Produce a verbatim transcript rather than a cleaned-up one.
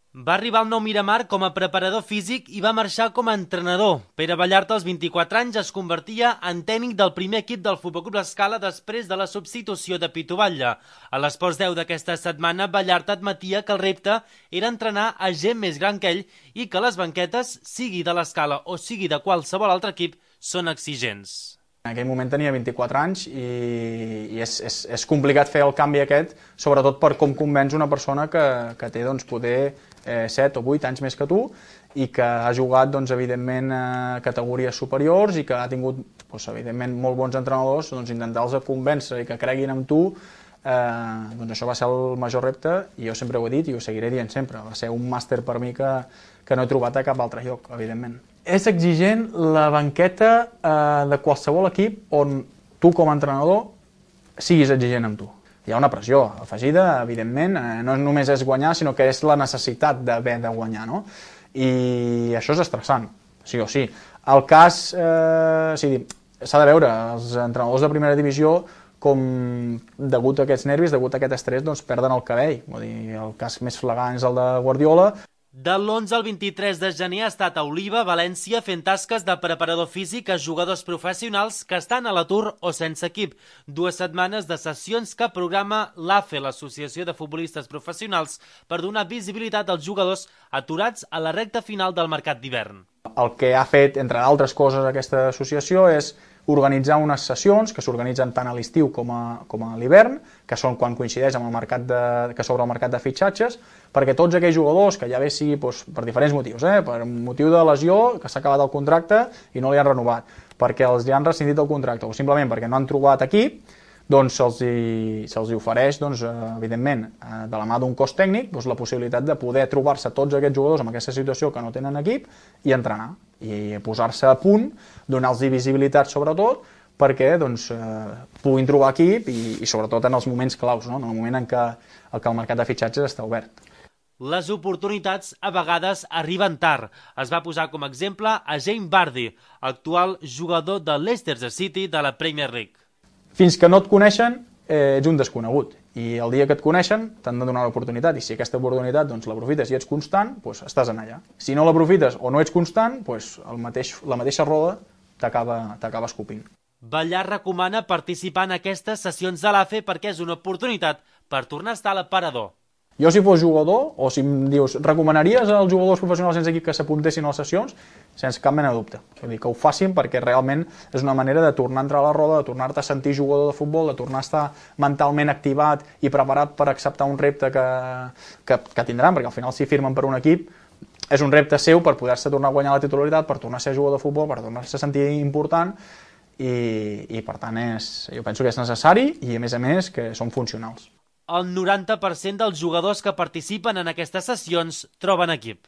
Va arribar al Nou Miramar com a preparador físic i va marxar com a entrenador. Pere Vallarta, als vint-i-quatre anys, es convertia en tècnic del primer equip del Futbol Club L'Escala després de la substitució de Pitu Batlle. A l'Esports deu d'aquesta setmana, Vallarta admetia que el repte era entrenar a gent més gran que ell i que les banquetes, sigui de l'Escala o sigui de qualsevol altre equip, són exigents. En aquell moment tenia vint-i-quatre anys i, i és, és, és complicat fer el canvi aquest, sobretot per com convenç una persona que, que té doncs, poder eh, set o vuit anys més que tu i que ha jugat doncs, evidentment a categories superiors i que ha tingut doncs, evidentment molt bons entrenadors, doncs, intentar-los convèncer i que creguin en tu. Eh, doncs això va ser el major repte i jo sempre ho he dit i ho seguiré dient sempre, va ser un màster per mi que, que no he trobat a cap altre lloc, evidentment. És exigent la banqueta eh, de qualsevol equip on tu com a entrenador siguis exigent amb tu. Hi ha una pressió afegida, evidentment, eh, no només és guanyar, sinó que és la necessitat d'haver de guanyar, no? I això és estressant, sí o sí. El cas, eh, sí, s'ha de veure, els entrenadors de primera divisió com degut a aquests nervis, degut a aquest estrès, doncs perden el cabell. Vull dir, el cas més flagrant és el de Guardiola. De l'onze al vint-i-tres de gener ha estat a Oliva, València, fent tasques de preparador físic a jugadors professionals que estan a l'atur o sense equip. Dues setmanes de sessions que programa l'A F E, l'Associació de Futbolistes Professionals, per donar visibilitat als jugadors aturats a la recta final del mercat d'hivern. El que ha fet, entre altres coses, aquesta associació és organitzar unes sessions que s'organitzen tant a l'estiu com a, com a l'hivern, que són quan coincideix amb el mercat de, que s'obre el mercat de fitxatges, perquè tots aquells jugadors que ja bé sigui doncs, per diferents motius, eh, per motiu de lesió, que s'ha acabat el contracte i no li han renovat, perquè els hi han rescindit el contracte o simplement perquè no han trobat equip, doncs se'ls hi, se'ls hi ofereix, doncs, evidentment, de la mà d'un cos tècnic, doncs, la possibilitat de poder trobar-se tots aquests jugadors en aquesta situació que no tenen equip i entrenar, i posar-se a punt, donar-los visibilitat sobretot, perquè doncs, eh, puguin trobar equip i, i sobretot en els moments claus, no? En el moment en què, en què el mercat de fitxatges està obert. Les oportunitats a vegades arriben tard. Es va posar com a exemple a Jamie Vardy, actual jugador de Leicester City de la Premier League. Fins que no et coneixen, eh, ets un desconegut. I el dia que et coneixen, t'han de donar l'oportunitat. I si aquesta oportunitat doncs, l'aprofites i ets constant, doncs estàs en allà. Si no l'aprofites o no ets constant, doncs el mateix, la mateixa roda t'acaba escopint. Ballar recomana participar en aquestes sessions de l'A F E perquè és una oportunitat per tornar a estar a l'aparador. Jo, si fos jugador, o si em dius, recomanaries als jugadors professionals sense equip que s'apuntessin a les sessions? Sense cap mena de dubte. Vull dir, que ho facin perquè realment és una manera de tornar a entrar a la roda, de tornar-te a sentir jugador de futbol, de tornar a estar mentalment activat i preparat per acceptar un repte que, que, que tindran, perquè al final si firmen per un equip és un repte seu per poder-se tornar a guanyar la titularitat, per tornar a ser jugador de futbol, per tornar-se a sentir important i, i per tant és, jo penso que és necessari i a més a més que són funcionals. El noranta per cent dels jugadors que participen en aquestes sessions troben equip.